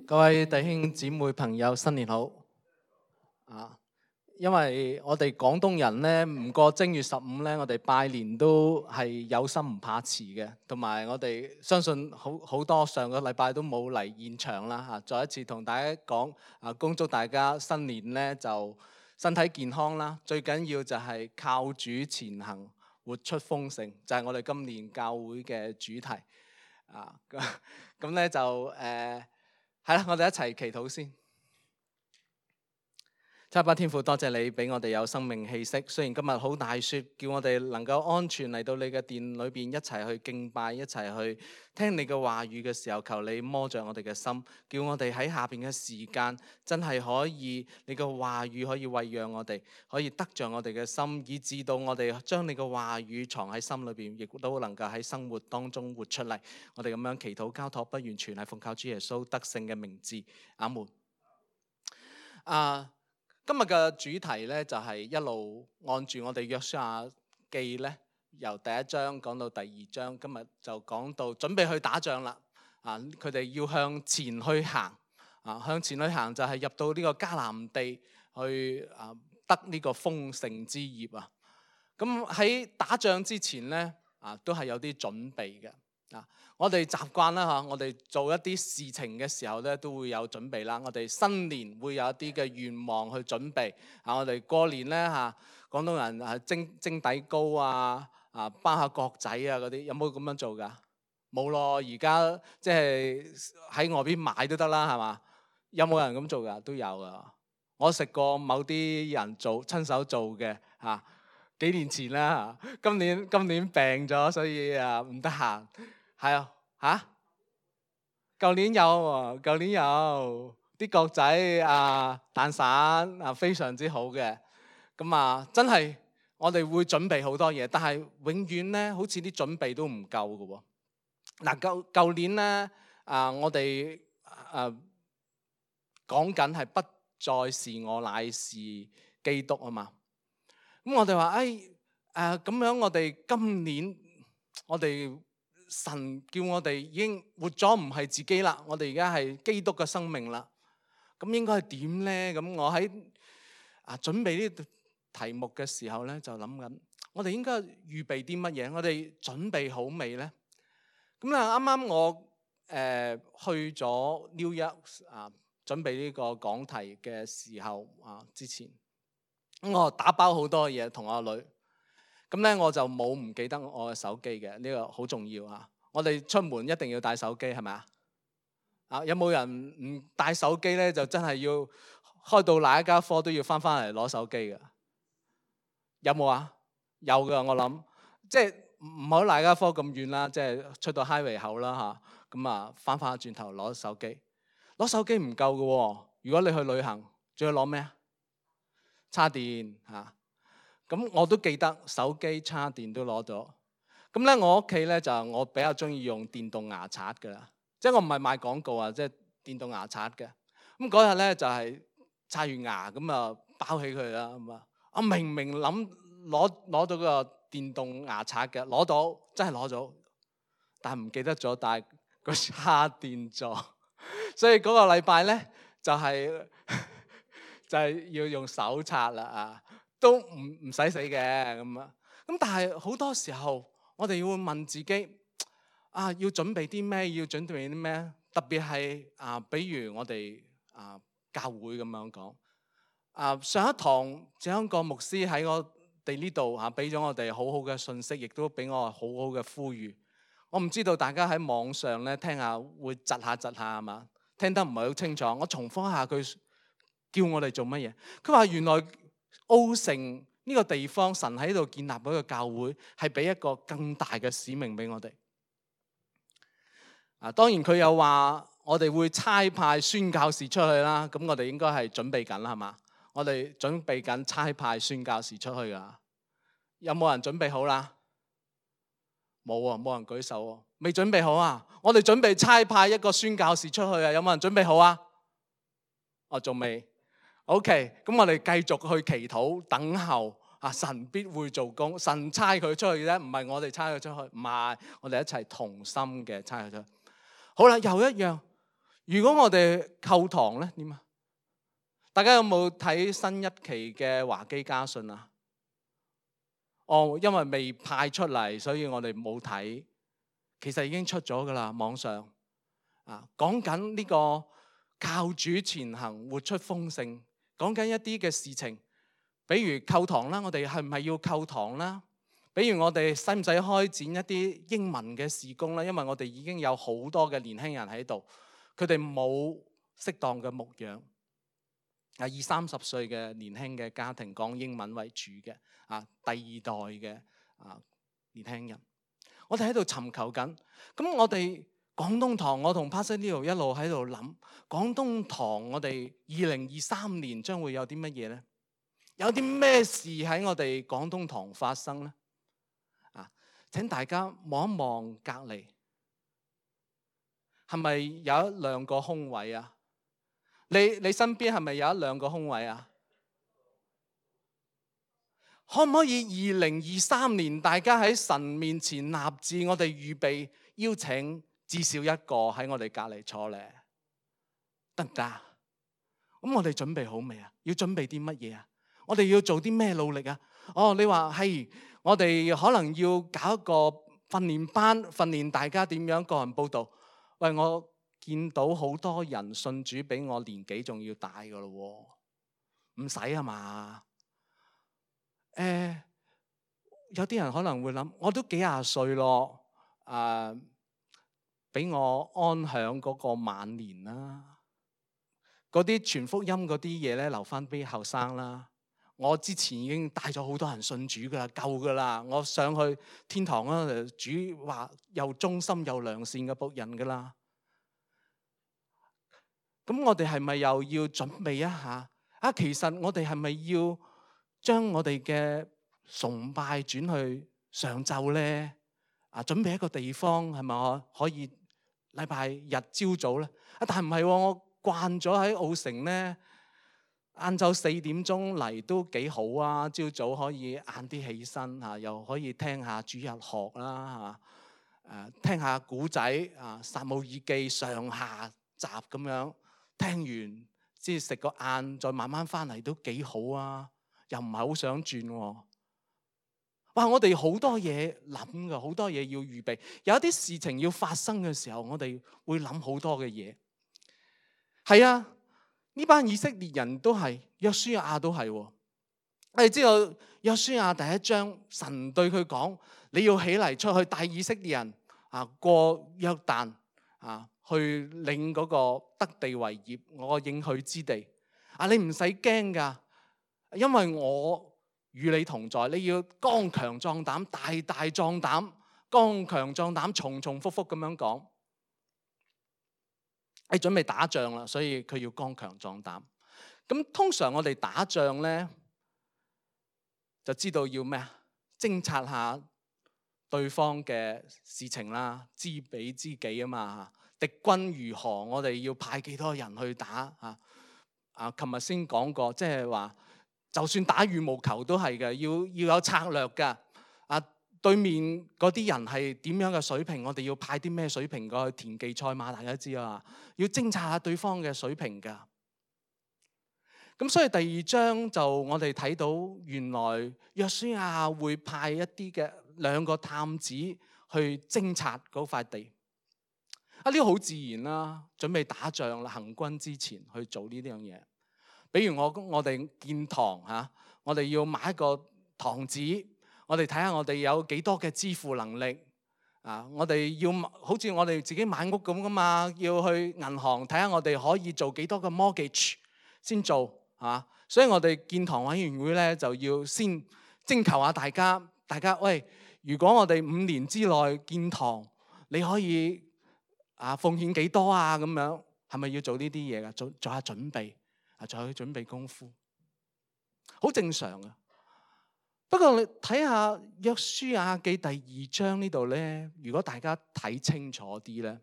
各位弟兄姊妹朋友，新年好！因為我哋廣東人咧，唔過正月15咧，我哋拜年都係有心唔怕遲嘅，同埋我哋相信好多上個禮拜都冇嚟現場啦嚇。再一次同大家講恭祝大家新年咧就身體健康啦，最緊要就係靠主前行，活出豐盛，就係我哋今年教會嘅主題咁咧就係啦，我哋一齊祈禱先。七八天父，多謝你俾我哋有生命氣息。雖然今日好大雪，叫我哋能夠安全嚟到你嘅殿裏邊一齊去敬拜，一齊去聽你嘅話語嘅時候，求你摸着我哋嘅心，叫我哋喺下邊嘅時間真係可以你嘅話語可以餵養我哋，可以得着我哋嘅心，以致到我哋將你嘅話語藏喺心裏邊，亦都能夠喺生活當中活出嚟。我哋咁樣祈禱交託不完全係奉靠主耶穌得勝嘅名字，阿門。今日嘅主題咧就係一路按住我哋約書亞記咧，由第一章講到第二章，今日就講到準備去打仗啦。佢哋要向前去行，向前去行就係入到呢個迦南地去得呢個豐盛之業啊。咁喺打仗之前咧，都係有啲準備嘅。我哋習慣啦嚇，我哋做一啲事情嘅時候咧，都會有準備啦。我哋新年會有一啲嘅願望去準備。我哋過年咧嚇，廣東人蒸底糕包下角仔嗰啲，有冇咁樣做㗎？冇咯，而家即係喺外邊買都得啦，係嘛？有冇人咁做㗎？都有㗎。我食過某啲人親手做嘅嚇，幾年前啦嚇，今年病咗，所以唔得閒。係啊嚇！舊年有啲角仔蛋散非常之好嘅。咁真係我哋會準備好多嘢，但係永遠咧好似啲準備都唔夠嘅喎。舊年咧我哋講緊係不再是我乃是基督啊嘛。咁我哋話咁樣，我哋今年我哋神叫我哋已經活咗唔係自己啦，我哋而家係基督嘅生命啦。咁應該係點呢？咁我喺準備呢題目嘅時候咧，就諗緊我哋應該預備啲乜嘢？我哋準備好未呢？咁啱啱我去咗 New York 準備呢個講題嘅時候之前，咁我打包好多嘢同我女。咁咧我就冇唔記得我嘅手機嘅，呢個好重要啊！我哋出門一定要帶手機，係咪啊？有冇人唔帶手機咧？就真係要開到哪一家科都要翻嚟攞手機嘅？有冇啊？有㗎，我諗即係唔好哪一家科咁遠啦，即係出到 highway 口啦嚇。咁翻轉頭攞手機，攞手機唔夠嘅喎。如果你去旅行，仲要攞咩啊？叉電嚇。咁我都記得手機叉電都攞咗。咁咧我屋企咧就我比較中意用電動牙刷㗎啦，即係我唔係賣廣告即係電動牙刷嘅。咁嗰日咧就係刷完牙咁包起佢啦咁我明諗攞到個電動牙刷嘅，攞到真係攞咗，但係唔記得咗帶個叉電座，所以嗰個禮拜咧就係要用手刷啦都唔使死嘅咁但係好多時候我哋會問自己要準備啲咩？要準備啲咩？特別係比如我哋教會咁樣講上一堂張國牧師喺我哋呢度俾咗我哋好好嘅信息，亦都俾我好好嘅呼籲。我唔知道大家喺網上咧聽下會窒下係嘛？聽得唔係好清楚。我重複一下佢叫我哋做乜嘢？佢話原來澳城呢個地方，神喺度建立嗰個教會，係俾一個更大嘅使命俾我哋。當然佢又話我哋會差派宣教士出去啦。咁我哋應該係準備緊啦，係嘛？我哋準備緊差派宣教士出去噶。有冇人準備好啦？冇啊，冇人舉手啊。未準備好啊？我哋準備差派一個宣教士出去啊。有冇人準備好啊？仲未。OK， 咁我哋繼續去祈禱等候神必會做工。神差佢出去啫，唔係我哋差佢出去，唔係我哋一齊同心嘅差佢出去。好啦，又一樣，如果我哋購堂咧點啊？大家有冇睇新一期嘅華基家信啊？哦，因為未派出嚟，所以我哋冇睇。其實已經出咗㗎喇，網上啊，講緊呢個靠主前行，活出豐盛，講緊一啲嘅事情，比如購堂啦，我哋係唔係要購堂啦？比如我哋使唔使開展一啲英文嘅事工咧？因為我哋已經有好多嘅年輕人喺度，佢哋冇適當嘅牧養。20-30歲嘅年輕嘅家庭講英文為主嘅第二代嘅年輕人，我哋喺度尋求緊。咁我哋廣東堂，我同 Pastor Leo 一路喺度諗，廣東堂我哋2023年將會有啲乜嘢呢？有啲咩事喺我哋廣東堂發生呢？請大家望一望隔離，係咪有1-2個空位啊？你身邊係咪有1-2個空位啊？可唔可以2023年大家喺神面前立志，我哋預備邀請至少1個喺我哋隔離坐咧，得唔得？咁我哋準備好未啊？要準備啲乜嘢啊？我哋要做啲咩努力啊？你話係，我哋可能要搞一個訓練班，訓練大家點樣個人報道。喂，我見到好多人信主比我年紀仲要大噶咯，唔使啊嘛？有啲人可能會諗，我都幾廿歲咯，俾我安享嗰個晚年啦。嗰啲傳福音嗰啲嘢咧，留翻俾後生啦。我之前已經帶咗好多人信主噶啦，夠噶啦。我上去天堂啦，主話又忠心又良善嘅僕人噶啦。咁我哋係咪又要準備一下？其實我哋係咪要將我哋嘅崇拜轉去上晝呢？準備一個地方係咪可以禮拜日朝早呢？但係唔係，我慣咗喺澳城呢，晏晝4點鐘嚟都幾好啊！朝早可以晏啲起身又可以聽下主日學啦，聽下古仔撒母耳記上下集咁樣，聽完先食個晏，再慢慢翻嚟都幾好啊！又唔係好想轉喎。哇！我哋好多嘢諗噶，好多嘢要預備。有一啲事情要發生嘅時候，我哋會諗好多嘅嘢。係啊，呢班以色列人都係，約書亞都係。我哋知道約書亞第1章，神對佢講：你要起嚟出去帶以色列人過約旦去領嗰個得地為業，我應許之地。你唔使驚噶，因為我與你同在。你要剛強壯膽，大大壯膽，剛強壯膽，重重複複咁樣講。你準備打仗啦，所以佢要剛強壯膽。咁通常我哋打仗呢，就知道要咩啊？偵察下對方嘅事情啦，知彼知己啊嘛。敵軍如何，我哋要派幾多人去打琴日先講過，即係話，就算打羽毛球都係嘅，要有策略噶。對面嗰啲人係點樣嘅水平，我哋要派啲咩水平過去？田忌賽馬大家知啊，要偵察下對方嘅水平噶。咁所以第2章就我哋睇到，原來約書亞會派一啲嘅2個探子去偵察嗰塊地。呢個好自然啦，準備打仗啦，行軍之前去做呢啲樣嘢。比如我哋建堂我哋要買一個堂址，我哋睇下我哋有幾多嘅支付能力我哋要好似我哋自己買屋咁噶嘛，要去銀行睇下我哋可以做幾多個 mortgage 先做所以我哋建堂委員會咧就要先徵求下大家喂，如果我哋5年之內建堂，你可以奉獻幾多啊？咁樣係咪要做呢啲嘢噶？做下準備做下準備功夫，好正常啊。不過你睇下約書亞記第2章呢度咧，如果大家睇清楚啲咧，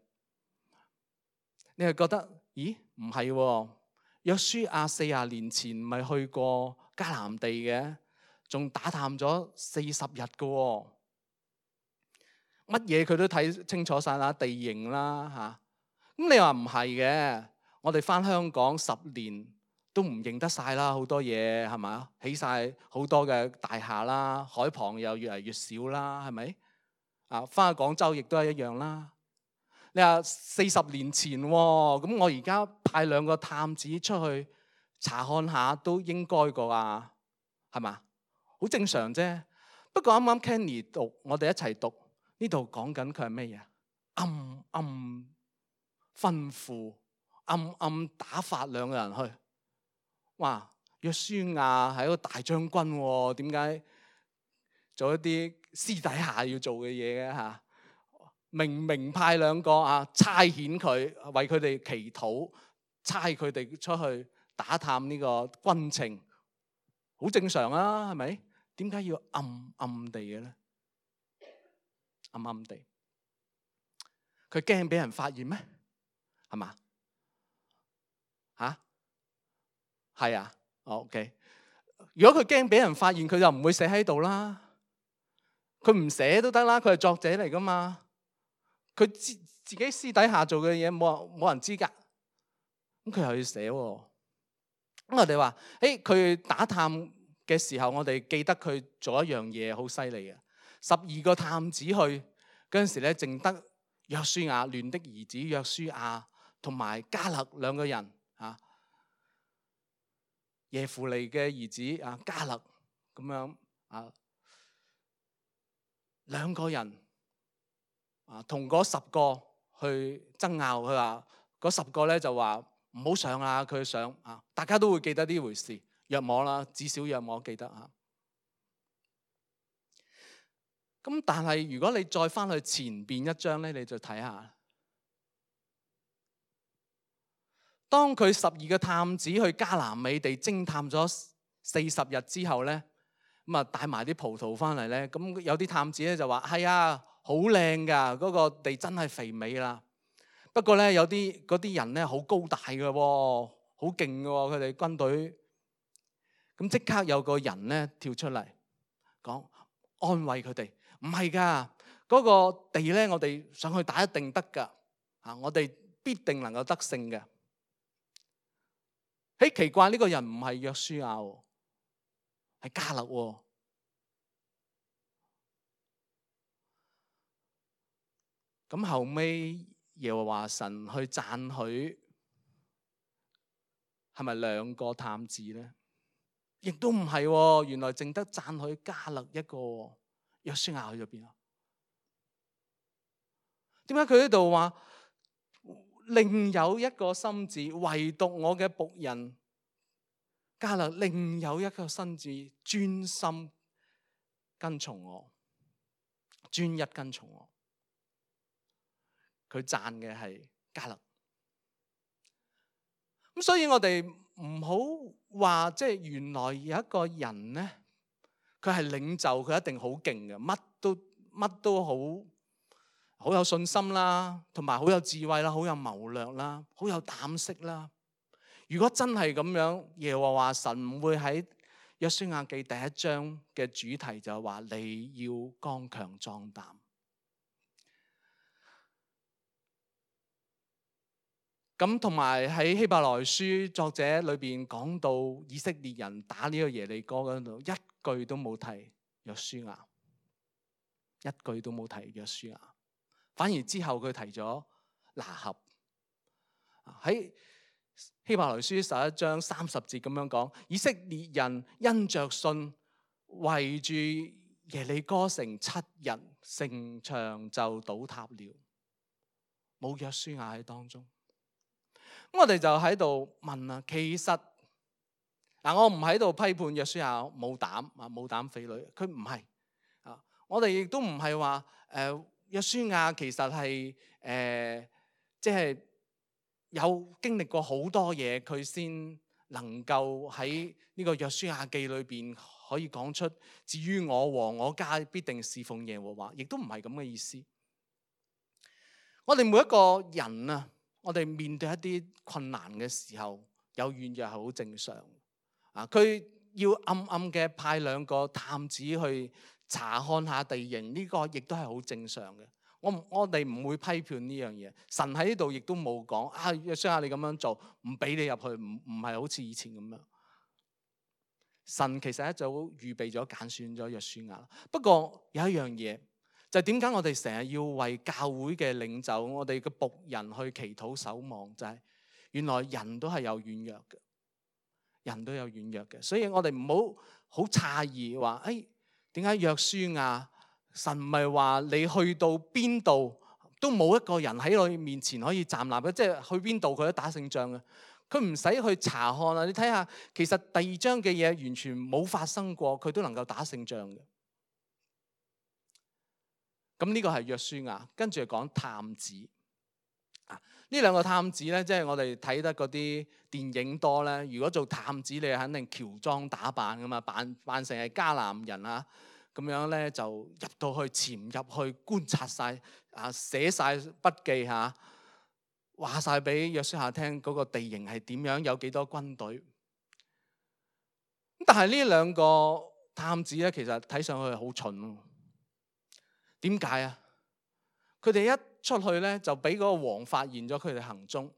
你係覺得咦？唔係喎，約書亞40年前咪去過迦南地嘅，仲打探咗40日嘅喎，乜嘢佢都睇清楚晒啦，地形啦咁你話唔係嘅？我哋返香港10年都唔認得晒啦，好多嘢係咪？起晒好多嘅大廈啦，海旁又越嚟越少啦，係咪？啊，返去廣州亦都係一樣啦。你話40年前喎，咁我而家派2個探子出去查看下都應該個啊，係嘛？好正常啫。不過啱啱 Kenny 讀，我哋一齊讀呢度講緊佢係咩嘢？暗暗吩咐，暗暗打發2個人去。哇！約書亞係一個大將軍喎，點解做一啲私底下要做嘅嘢嘅嚇？明明派2個啊，差遣佢為佢哋祈禱，差佢哋出去打探呢個軍情，好正常啊，係咪？點解要暗暗地嘅咧？暗暗地，佢驚俾人發現咩？係嘛？嚇？係啊，OK。如果佢驚俾人發現，佢就唔會寫喺度啦。佢唔寫都得啦，佢係作者嚟噶嘛。佢自己私底下做嘅嘢冇人知㗎。咁佢又要寫喎。咁我哋話，佢打探嘅時候，我哋記得佢做一樣嘢好犀利嘅。12個探子去嗰陣時咧，淨得約書亞、嫩的兒子約書亞同埋迦勒2個人啊。耶孚尼嘅兒子啊，迦勒咁樣啊，2個人啊，同嗰10個去爭拗。佢話嗰10個咧就話唔好上啊，佢上啊，大家都會記得呢回事。約摸啦，至少約摸記得啊。咁但係如果你再翻去前邊一章咧，你就睇下，當佢12個探子去迦南美地偵探咗40日之後咧，咁啊帶埋啲葡萄翻嚟咧，咁有啲探子咧就話係啊，好靚噶，嗰個地真係肥美啦。不過咧有啲嗰啲人咧好高大嘅喎，好勁嘅喎，佢哋軍隊。咁即刻有個人咧跳出嚟講安慰佢哋，唔係㗎，嗰個地咧我哋上去打一定得㗎，啊，我哋必定能夠得勝嘅。奇怪，呢個人唔係約書亞喎，係迦勒喎。咁後尾耶和華神去讚許，係咪2個探子咧？亦都唔係喎，原來淨得讚許迦勒一個。約書亞去咗邊啊？點解佢呢度話另有一個心志，唯獨我嘅僕人迦勒另有一個心志，專心跟從我，專一跟從我。佢讚嘅係迦勒。咁所以我哋唔好話即係原來有一個人咧，佢係領袖，佢一定好勁嘅，乜都好有信心啦，同埋好有智慧啦，好有謀略啦，好有膽識啦。如果真係咁樣，耶和華神唔會喺約書亞記第1章嘅主題就係話你要剛強壯膽。咁同埋喺希伯來書作者裏邊講到以色列人打呢個耶利哥嗰度，一句都冇提約書亞，一句都冇提約書亞，反而之後佢提咗拿合。喺希伯來書11章30節咁樣講，以色列人因着信圍住耶利哥城7日，城牆就倒塌了，冇約書亞喺當中。咁我哋就喺度問啦，其實我唔喺度批判約書亞冇膽匪類，佢唔係啊。我哋亦都唔係話約書亞其實係即係有經歷過好多嘢，佢先能夠喺呢個約書亞記裏邊可以講出，至於我和我家必定侍奉耶和華，亦都唔係咁嘅意思。我哋每一個人啊，我哋面對一啲困難嘅時候，有軟弱係好正常啊。佢要暗暗嘅派2個探子去查看下地形，呢個亦都係好正常嘅。我哋唔會批判呢樣嘢。神喺呢度亦都冇講約書亞你咁樣做，唔俾你入去，唔係好似以前咁樣。神其實一早預備咗揀選咗約書亞。不過有一樣嘢，就係點解我哋成日要為教會嘅領袖、我哋嘅僕人去祈禱守望，就係原來人都係有軟弱嘅，人都有軟弱嘅，所以我哋唔好詫異話，點解約書亞神唔係話你去到邊度都冇一個人喺你面前可以站立嘅，即係去邊度佢都打勝仗嘅，佢唔使去查看啊！你睇下，其實第二章嘅嘢完全冇發生過，佢都能夠打勝仗嘅。咁呢個係約書亞，跟住講探子呢兩個探子咧，即係我哋睇得嗰啲電影多咧。如果做探子，你肯定喬裝打扮噶嘛，扮成係迦南人啊，咁樣咧就入到去潛入去觀察晒寫晒筆記話晒俾約書亞聽嗰個地形係點樣，有幾多軍隊。但係呢兩個探子咧，其實睇上去係好蠢咯。點解啊？佢哋一出去咧，就俾嗰個王發現咗佢哋行蹤，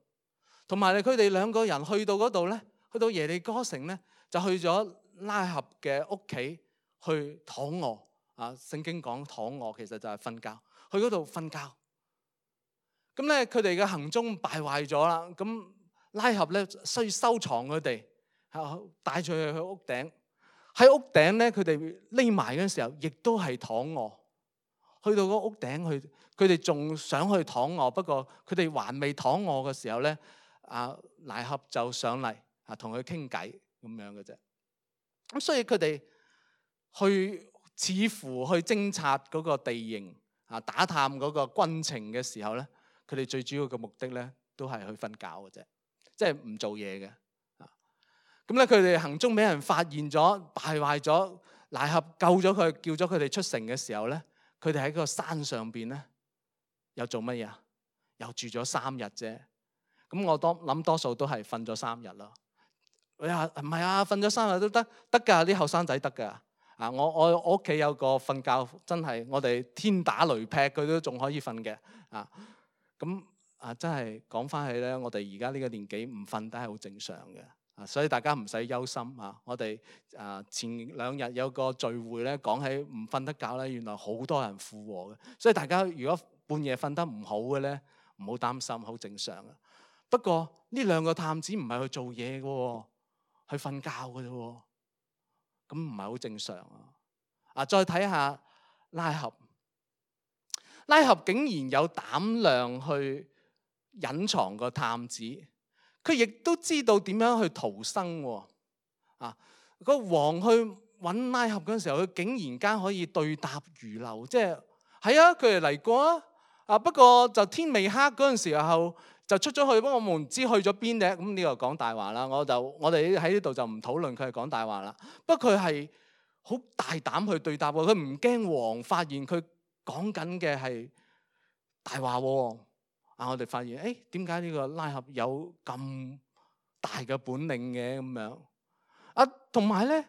同埋佢哋兩個人去到嗰度咧，去到耶利哥城咧，就去咗拉合嘅屋企去躺臥。聖經講躺臥其實就係瞓覺，去嗰度瞓覺。咁咧佢哋嘅行蹤敗壞咗啦。咁拉合咧需要收藏佢哋，帶住佢去屋頂。喺屋頂咧，佢哋匿埋嗰陣時候，亦都係躺臥。去到嗰屋頂去，佢哋仲想去躺臥，不過佢哋還未躺臥嘅時候咧，拉合就上嚟同佢傾偈咁樣嘅啫。咁所以佢哋似乎去偵察嗰個地形打探嗰個軍情嘅時候咧，佢哋最主要嘅目的咧都係去瞓覺嘅啫，即係唔做嘢嘅。咁咧佢哋行蹤俾人發現咗，敗壞咗，拉合救咗佢，叫咗佢哋出城嘅時候咧，佢哋喺個山上邊咧，又做乜嘢？又住咗3日啫。咁我諗多數都係瞓咗3日咯。唔係瞓咗3日都得㗎，啲後生仔得㗎。我屋企有個瞓覺真係，我哋天打雷劈佢都仲可以瞓嘅。咁真係講翻起咧，我哋而家呢個年紀唔瞓都係好正常嘅。所以大家唔使憂心。我哋前2日有個聚會咧，講起唔瞓得覺咧，原來好多人附和嘅。所以大家如果半夜瞓得唔好嘅咧，唔好擔心，好正常嘅。不過呢兩個探子唔係去做嘢嘅，去瞓覺嘅啫。咁唔係好正常啊！再睇下拉合竟然有膽量去隱藏個探子。佢亦都知道點樣去逃生喎。個王去揾拉合嗰陣時候，佢竟然間可以對答如流，即係佢哋嚟過不過就天未黑嗰陣時候就出咗去，不過我們唔知去咗邊咧。咁呢個講大話啦，我哋喺呢度就唔討論佢係講大話啦。不過佢係好大膽去對答喎，佢唔驚王發現佢講緊嘅係大話喎。我哋發現點解呢個拉合有咁大嘅本領嘅咁樣？同埋咧，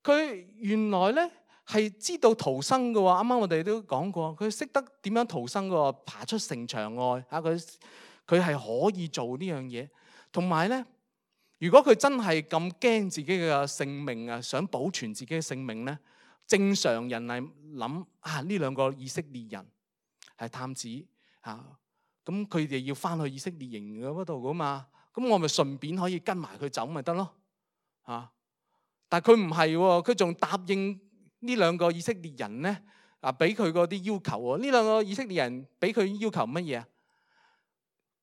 佢原來咧係知道逃生嘅喎。啱啱我哋都講過，佢識得點樣逃生嘅喎，爬出城牆外佢係可以做呢樣嘢。同埋咧，如果佢真係咁驚自己嘅性命想保存自己嘅性命咧，正常人係諗呢兩個以色列人係探子咁佢哋要翻去以色列營嗰度噶嘛，咁我咪順便可以跟埋佢走咪得咯。但係佢唔係喎，佢仲答應呢兩個以色列人咧俾佢嗰啲要求喎。呢兩個以色列人俾佢要求乜嘢？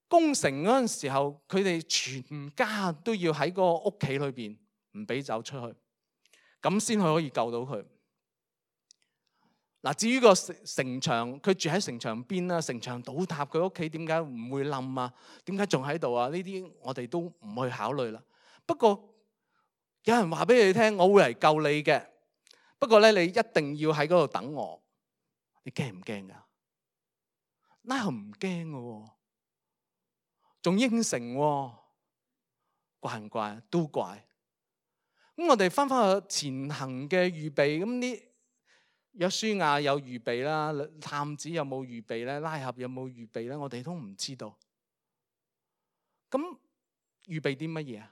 攻城嗰陣時候，佢哋全家都要喺個屋企裏邊唔俾走出去，咁先可以救到佢。至於個城牆，佢住喺城牆邊啦，城牆倒塌，佢屋企點解唔會冧啊？點解仲喺度啊？呢啲我哋都唔去考慮啦。不過有人話俾你聽，我會嚟救你嘅。不過咧，你一定要喺嗰度等我。你驚唔驚噶？拉合唔驚嘅喎，仲應承喎，怪唔怪？都怪。咁我哋翻去前行嘅預備，咁呢約書亞有預備啦，探子有冇預備咧？拉合有冇預備咧？我哋都唔知道。咁預備啲乜嘢啊？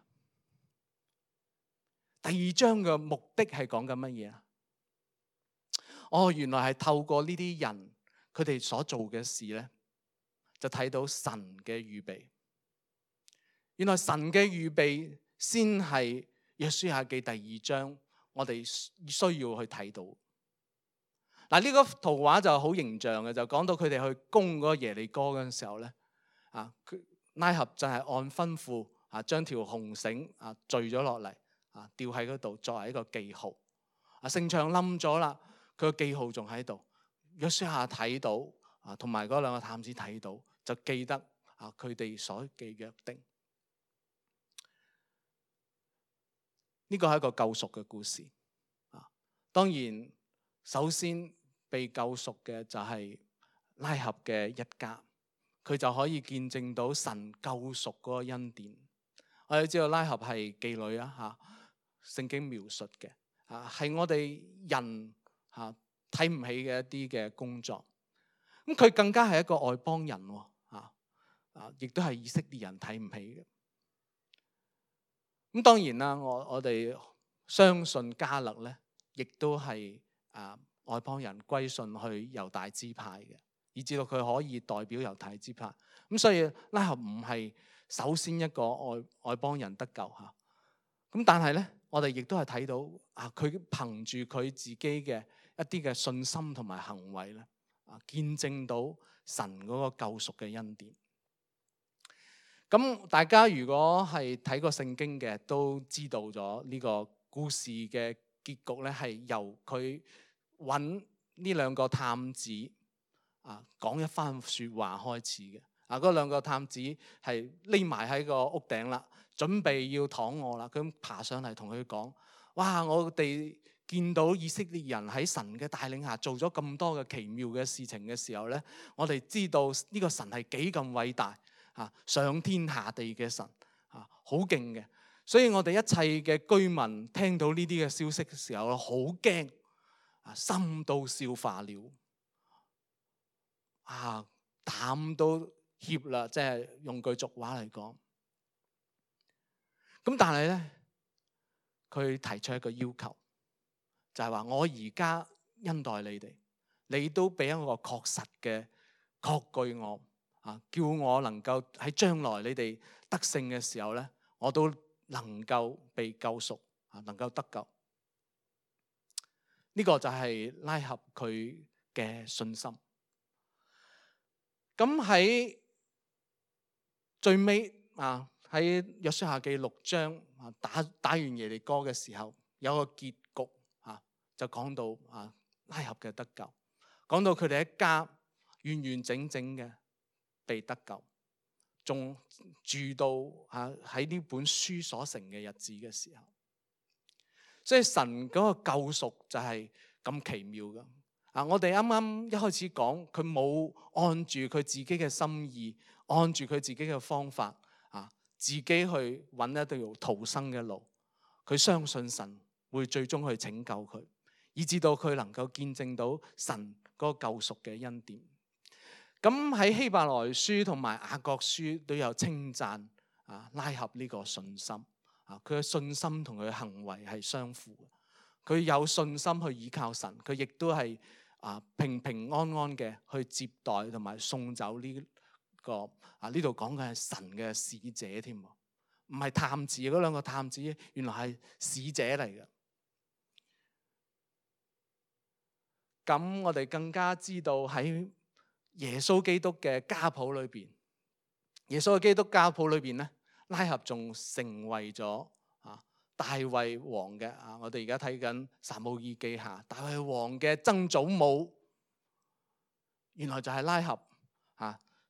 第二章嘅目的係講緊乜嘢啊？原來係透過呢啲人佢哋所做嘅事咧，就睇到神嘅預備。原來神嘅預備先係約書亞記第二章我哋需要去睇到。嗱，呢個圖畫就好形象嘅，就講到佢哋去攻嗰個耶利哥嘅時候咧，拉合就係按吩咐將條紅繩墜咗落嚟吊喺嗰度作為一個記號。城牆冧咗啦，佢個記號仲喺度。約書亞睇到同埋嗰兩個探子睇到，就記得佢哋所嘅約定。呢個係一個救贖嘅故事。當然首先被救贖嘅就係拉合嘅一家，佢就可以見證到神救贖嗰個恩典。我哋知道拉合係妓女聖經描述嘅係我哋人睇唔起嘅一啲嘅工作。咁佢更加係一個外邦人亦都係以色列人睇唔起嘅。咁當然啦，我哋相信迦勒咧，亦都係外邦人歸順去猶大支派嘅，以至到佢可以代表猶大支派。咁所以拉合唔係首先一個外邦人得救嚇。咁但係咧，我哋亦都係睇到佢憑住佢自己嘅一啲嘅信心同埋行為咧，見證到神嗰個救贖嘅恩典。咁大家如果係睇過聖經嘅，都知道咗呢個故事嘅結局咧，係由佢揾呢兩個探子講一番説話開始嘅。嗰兩個探子係匿埋喺個屋頂啦，準備要躺臥啦。佢爬上嚟同佢講：哇！我哋見到以色列人喺神嘅帶領下做咗咁多嘅奇妙嘅事情嘅時候咧，我哋知道呢個神係幾咁偉大。上天下地嘅神好勁嘅，所以我哋一切嘅居民聽到呢啲嘅消息嘅時候，好驚，心都消化了，膽都怯啦，即係用句俗話嚟講。咁但係咧，佢提出一個要求，就係話我而家恩待你哋，你都俾一個確實嘅確據我。叫我能夠喺將來你哋得勝嘅時候咧，我都能夠被救贖，能夠得救。呢個就係拉合佢嘅信心。咁喺最尾喺約書亞記6章打完耶利哥嘅時候，有個結局就講到拉合嘅得救，講到佢哋一家完完整整嘅被得救，仲住到喺呢本書所成嘅日子嘅時候。所以神嗰個救贖就係咁奇妙嘅。我哋啱啱一開始講，佢冇按住佢自己嘅心意，按住佢自己嘅方法自己去揾一條逃生嘅路。佢相信神會最終去拯救佢，以至到佢能夠見證到神嗰個救贖嘅恩典。咁喺希伯來書同埋雅各書都有稱讚拉合呢個信心。佢嘅信心同佢嘅行為係相符嘅。佢有信心去依靠神，佢亦都係平平安安嘅去接待同埋送走呢個呢度講嘅係神嘅使者添，唔係探子。嗰兩個探子原來係使者嚟嘅。咁我哋更加知道喺耶穌基督嘅家譜裏邊，耶穌嘅基督家譜裏邊咧，拉合仲成為咗大衛王嘅我哋而家睇緊撒母耳記下，大衛王嘅曾祖母原來就係拉合。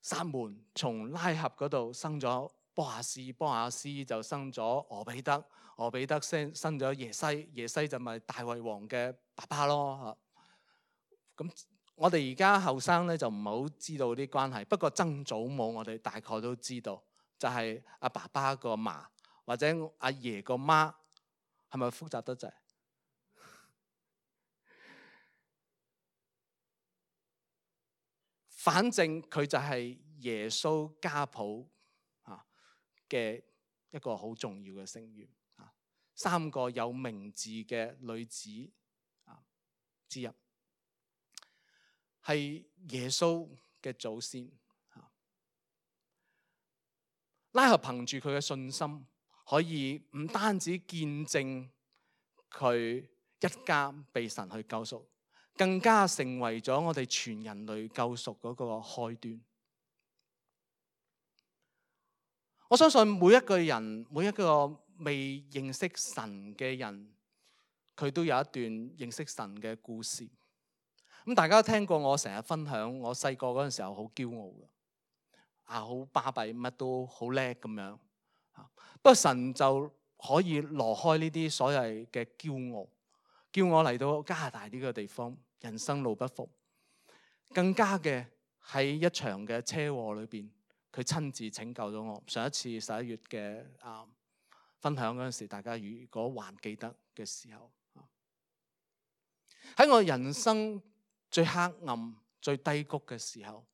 撒門從拉合嗰度生咗波亞斯，波亞斯就生咗俄比德，俄比德生咗耶西，耶西就咪大衛王嘅爸爸咯。咁我哋而家後生咧就唔係好知道啲關係，不過曾祖母我哋大概都知道，就係阿爸爸個嫲或者阿爺個媽，係咪複雜得滯？反正佢就係耶穌家譜嘅一個好重要嘅成員，3個有名字嘅女子之一，係耶穌嘅祖先。拉合憑住佢嘅信心，可以唔單止見證佢一家被神去救贖，更加成為咗我哋全人類救贖嗰個開端。我相信每一個人，每一個未認識神嘅人，佢都有一段認識神嘅故事。咁大家聽過我成日分享，我細個嗰陣時候好驕傲嘅，好巴閉，乜都好叻咁樣。不過神就可以挪開呢啲所謂嘅驕傲，叫我嚟到加拿大呢個地方，人生路不熟，更加嘅喺一場嘅車禍裏邊，佢親自拯救咗我。上一次11月嘅分享嗰陣時，大家如果還記得嘅時候，喺我人生最黑暗、最低谷嘅時候，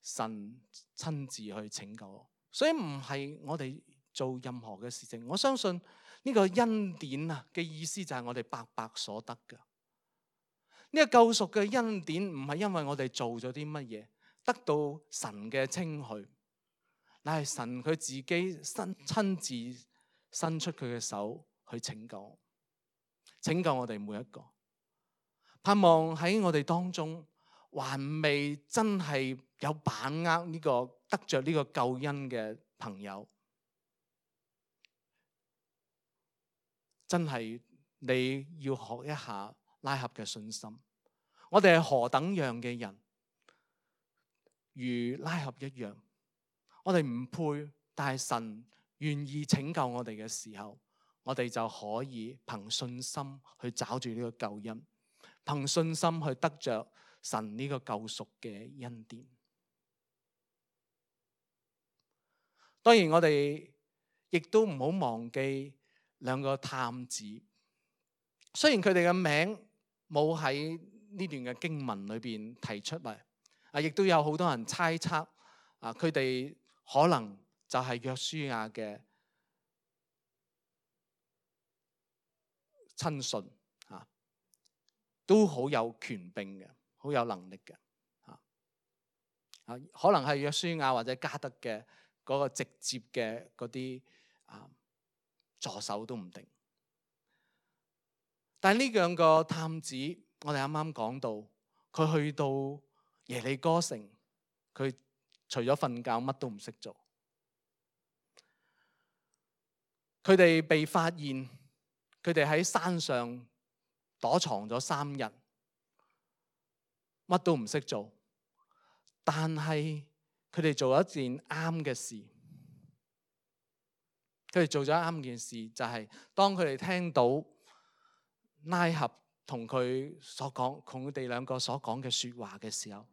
神親自去拯救我。所以唔係我哋做任何嘅事情，我相信呢個恩典嘅意思就係我哋白白所得嘅。呢個救贖嘅恩典唔係因為我哋做咗啲乜嘢，得到神嘅稱許，乃係神佢自己親自伸出佢嘅手去拯救我哋每一個。盼望喺我哋當中還未真係有把握呢個得着呢個救恩嘅朋友，真係你要學一下拉合嘅信心。我哋係何等樣嘅人，如拉合一樣，我哋唔配，但係神願意拯救我哋嘅時候，我哋就可以憑信心去找住呢個救恩，憑信心去得着神呢個救贖嘅恩典。當然我哋亦都唔好忘記2個探子，雖然佢哋嘅名冇喺呢段嘅經文裏邊提出嚟，亦都有好多人猜測佢哋可能就係約書亞嘅親信，都好有權柄嘅，好有能力嘅，可能係約書亞或者加德嘅嗰個直接嘅嗰啲助手都唔定。但係呢2個探子，我哋啱啱講到，佢去到耶利哥城，佢除咗瞓覺乜都唔識做。佢哋被發現，佢哋喺山上躲藏咗3日，乜都唔識做。但係佢哋做咗一件啱嘅事。佢哋做咗啱件事，就係當佢哋聽到拉合同佢所講，同佢哋2個所講嘅說話嘅時候，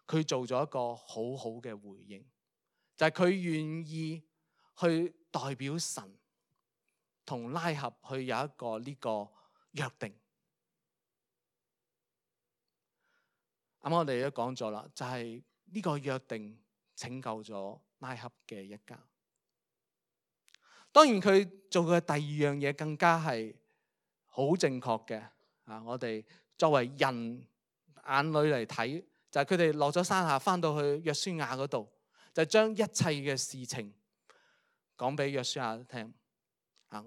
佢做咗一個好好嘅回應，就係佢願意去代表神同拉合去有一個呢個約定。咁我哋都講咗啦，就係呢個約定拯救咗拉合嘅一家。當然佢做嘅第2樣嘢更加係好正確嘅。我哋作為人眼裏嚟睇，就係佢哋落咗山下，翻到去約書亞嗰度，就將一切嘅事情講俾約書亞聽。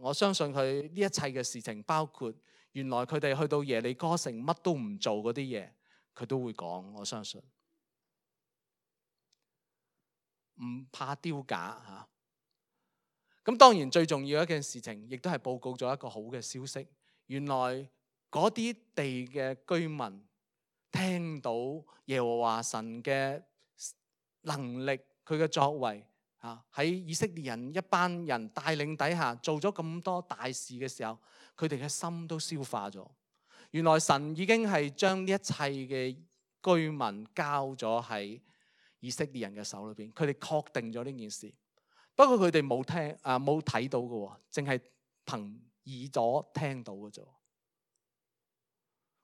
我相信佢呢一切嘅事情，包括原來佢哋去到耶利哥城乜都唔做嗰啲嘢，佢都會講。我相信唔怕丟架。咁當然最重要一件事情，亦都係報告咗一個好嘅消息。原來嗰啲地嘅居民聽到耶和華神嘅能力，佢嘅作為喺以色列人一班人帶領底下做咗咁多大事嘅時候，佢哋嘅心都消化咗。原來神已經係將呢一切嘅居民交咗喺以色列人嘅手裏邊，佢哋確定咗呢件事。不過佢哋冇睇到嘅，淨係憑耳朵聽到嘅啫。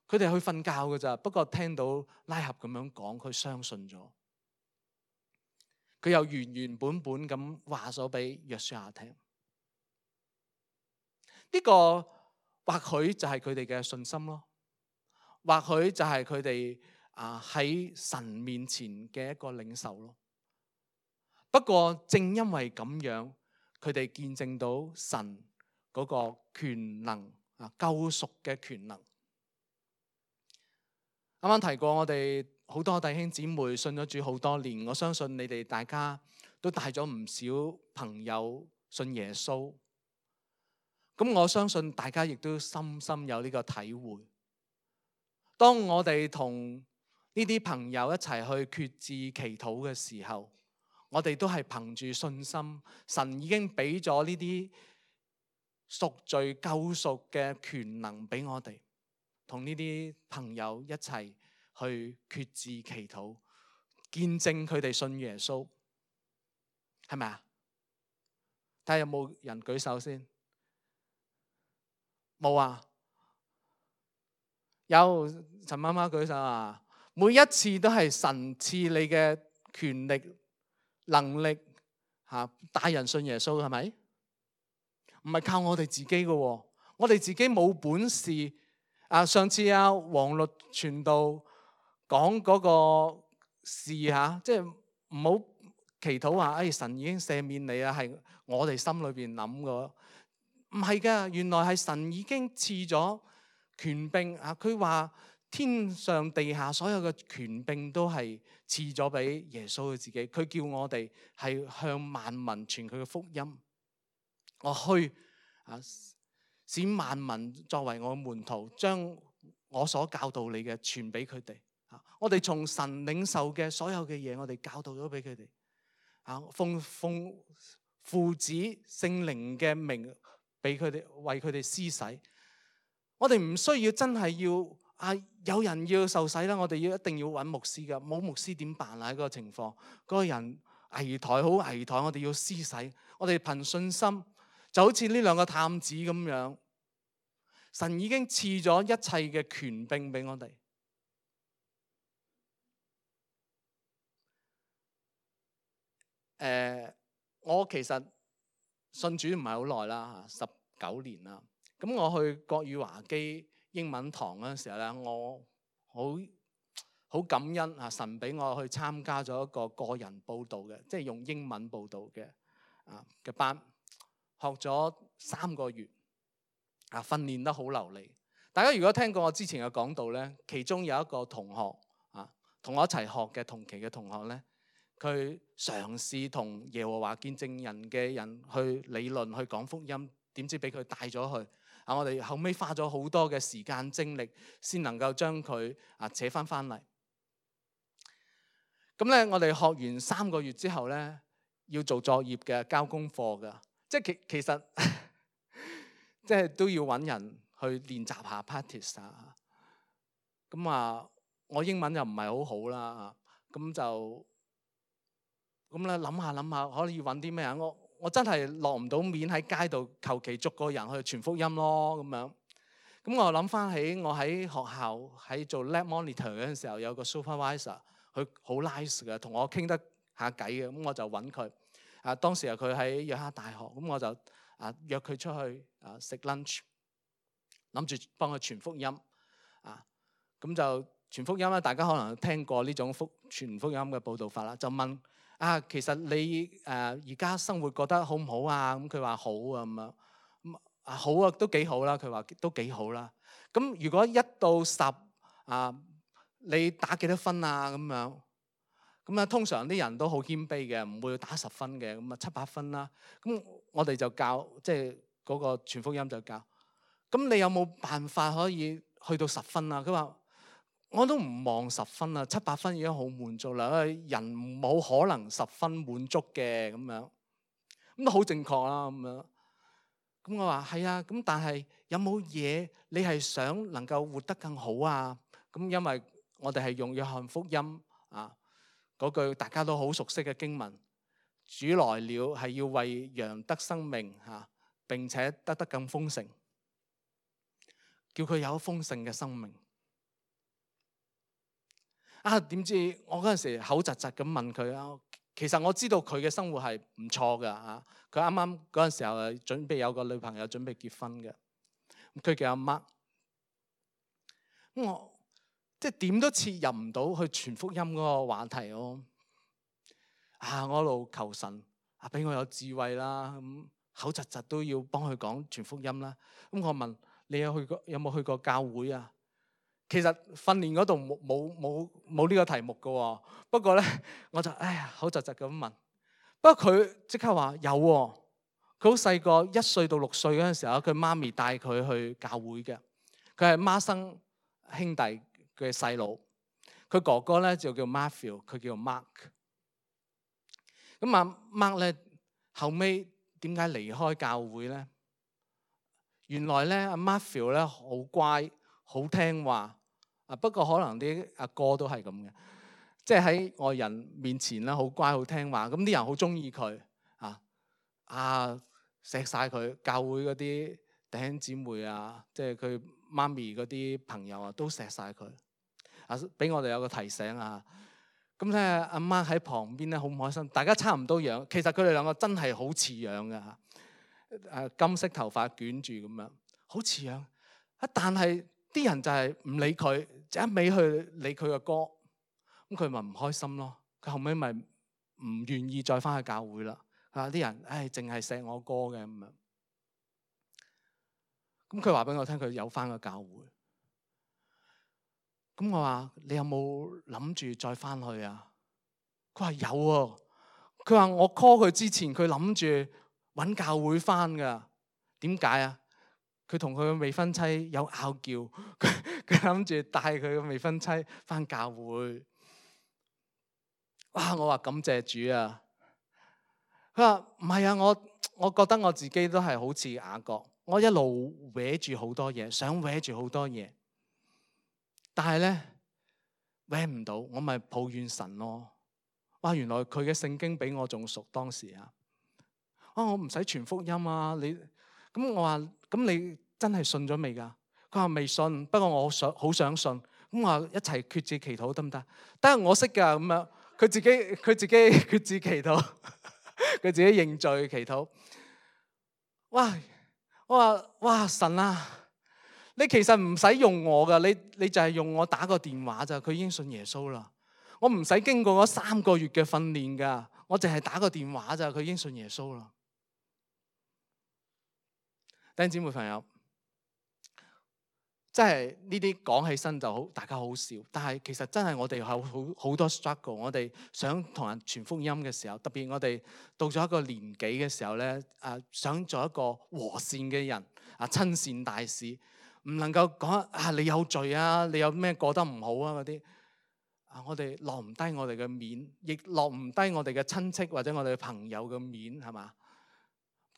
佢哋去瞓覺㗎咋，不過聽到拉合咁樣講，佢相信咗。佢又原原本本咁話咗俾約書亞聽。呢個或許就係佢哋嘅信心咯，或許就係佢哋喺神面前嘅一個領受咯。不過正因為咁樣，佢哋見證到神嗰個權能救贖嘅權能。啱啱提過，我哋好多弟兄姊妹信咗主好多年，我相信你哋大家都帶咗唔少朋友信耶穌。咁我相信大家亦都深深有呢個體會。當我哋同呢啲朋友一齊去決志祈禱嘅時候，我哋都係憑住信心，神已經俾咗呢啲贖罪救贖嘅權能俾我哋，同呢啲朋友一齊去決志祈禱，見證佢哋信耶穌，係咪啊？睇下有冇人舉手先。冇啊？有，陳媽媽舉手啊！每一次都係神賜你嘅權力、能力帶人信耶穌，係咪？唔係靠我哋自己嘅喎，我哋自己冇本事。上次黃律傳道講嗰個事即係唔好祈禱話，神已經赦免你啊，係我哋心裏邊諗嘅。唔係㗎，原來係神已經賜咗權柄佢話天上地下所有嘅權柄都係賜咗俾耶穌佢自己。佢叫我哋係向萬民傳佢嘅福音。我去使萬民作為我嘅門徒，將我所教導你嘅傳俾佢哋。我哋從神領受嘅所有嘅嘢，我哋教導咗俾佢哋。奉父子聖靈嘅名俾佢哋，為佢哋施洗。我哋唔需要真係要有人要受洗啦，我哋一定要揾牧師噶。冇牧師點辦啊？喺嗰個情況，嗰個人危殆好危殆，我哋要施洗。我哋憑信心，就好似呢兩個探子咁樣，神已經賜咗一切嘅權柄俾我哋。我其實信主唔係好耐啦，19年啦。咁我去國語華基英文堂嗰陣時候咧，我好感恩神俾我去參加咗一個個人報道嘅，即係用英文報道嘅班，學咗3個月，訓練得好流利。大家如果聽過我之前嘅講道咧，其中有一個同學同我一齊學嘅同期嘅同學咧，佢嘗試同耶和華見證人嘅人去理論去講福音，點知俾佢帶咗去。我哋後尾花咗好多嘅時間精力，先能夠將佢扯翻嚟。咁咧，我哋學完3個月之後咧，要做作業嘅，交功課嘅，即係其實即係都要揾人去練習下 practice 咁我英文又唔係好好啦，咁咧諗下可以揾啲咩啊？我真係落唔到面喺街度求其捉個人去傳福音咯咁樣。咁我諗翻起我喺學校喺做 lab monitor 嗰陣時候，有個 supervisor， 佢好 nice 嘅，同我傾得下偈嘅。咁我就揾佢。當時佢喺約克大學，咁我就約佢出去食 lunch， 諗住幫佢傳福音。咁就傳福音啦，大家可能聽過呢種傳福音嘅報導法啦。就問其實你而家生活覺得好唔好啊？咁佢話好啊咁樣。好啊，都幾好啦。佢話都幾好啦。咁如果1到10你打幾多分啊？咁樣咁通常啲人都好謙卑嘅，唔會打10分嘅，咁7、8分啦。咁我哋就教，即係嗰個傳福音就教。咁你有冇辦法可以去到10分啊？佢話我都唔望10分啊，7、8分已經好滿足啦。人冇可能10分滿足嘅咁樣，咁都好正確啦咁樣。咁我話係啊，咁但係有冇嘢你係想能夠活得更好啊？咁因為我哋係用約翰福音嗰句大家都好熟悉嘅經文，主來了係要為羊得生命並且得更豐盛，叫佢有豐盛嘅生命。點知我嗰陣時口窒窒咁問佢啊，其實我知道佢嘅生活係唔錯㗎嚇，佢啱啱嗰陣時候係準備有個女朋友，準備結婚嘅，佢叫阿 Mark。咁我即係點都切入唔到去傳福音嗰個話題咯。我一路求神俾我有智慧啦，咁口窒窒都要幫佢講傳福音啦。咁我問你有冇去過教會啊？其實訓練嗰度冇呢個題目嘅，不過咧我就口窒窒咁問。不過佢即刻話有喎，佢好細個，1歲到6歲嗰陣時候，佢媽咪帶佢去教會嘅。佢係孖生兄弟嘅細佬，佢哥哥咧就叫 Matthew， 佢叫 Mark。咁阿 Mark 咧後尾點解離開教會咧？原來咧阿 Matthew 咧好乖，好聽話。不過可能啲阿哥都係咁嘅，即係喺外人面前咧好乖好聽話，咁啲人好中意佢錫晒佢。教會嗰啲弟兄姊妹啊，即係佢媽咪嗰啲朋友啊，都錫晒佢。俾我哋有個提醒啊！咁咧阿媽喺旁邊咧好唔開心，大家差唔多樣，其實佢哋兩個真係好似樣嘅，金色頭髮捲住咁樣，好似樣。但係啲人就係唔理佢，就一味去理佢嘅歌，咁佢咪唔開心咯。佢後尾咪唔願意再翻去教會啦。啲人淨係錫我歌嘅咁樣。咁佢話俾我聽，佢有翻個教會。咁我話你有冇諗住再翻去啊？佢話有喎。佢話我 call 佢之前，佢諗住揾教會翻噶。點解啊？佢同佢嘅未婚妻有拗撬，佢諗住帶佢嘅未婚妻翻教會。哇！我話感謝主啊！佢話唔係啊，我覺得我自己都係好似雅各，我一路搲住好多嘢，想搲住好多嘢，但係咧搲唔到，我咪抱怨神咯。哇！原來佢嘅聖經比我仲熟當時啊！我唔使傳福音啊！咁我話咁你真係信咗未㗎？佢話未信，不過我好想信。咁我話一齊決志祈禱得唔得？得，我識㗎咁樣。佢自己決志祈禱，佢自己認罪祈禱。哇！我話哇神啊！你其實唔使用我㗎，你就係用我打個電話咋，佢已經信耶穌啦。我唔使經過嗰3個月嘅訓練㗎，我淨係打個電話咋，佢已經信耶穌啦。弟兄姊妹朋友，真係呢啲講起身就好，大家好笑。但係其實真係我哋有好多 struggle。我哋想同人傳福音嘅時候，特別我哋到咗一個年紀嘅時候咧，想做一個和善嘅人，親善大使，唔能夠講你有罪啊，你有咩過得唔好啊嗰啲。我哋落唔低我哋嘅面，亦落唔低我哋嘅親戚或者我哋嘅朋友嘅面，係嘛？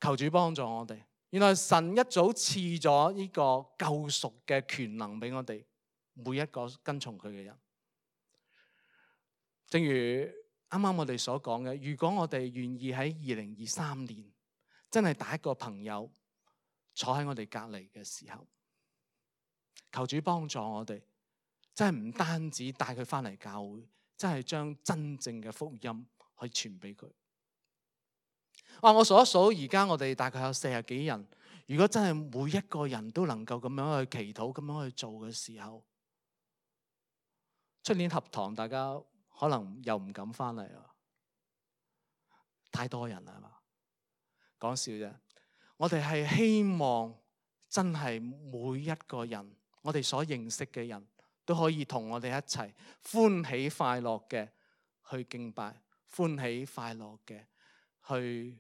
求主幫助我哋。原來神一早賜咗呢個救贖嘅權能俾我哋每一個跟從佢嘅人。正如啱啱我哋所講嘅，如果我哋願意喺2023年真係帶一個朋友坐喺我哋隔離嘅時候，求主幫助我哋，真係唔單止帶佢翻嚟教會，真係將真正嘅福音去傳俾佢。我數一數，而家我哋大概有40幾人。如果真係每一個人都能夠咁樣去祈禱、咁樣去做嘅時候，出年合堂大家可能又唔敢翻嚟啦，太多人啦，係嘛？講笑啫。我哋係希望真係每一個人，我哋所認識嘅人都可以同我哋一齊歡喜快樂嘅去敬拜，歡喜快樂嘅去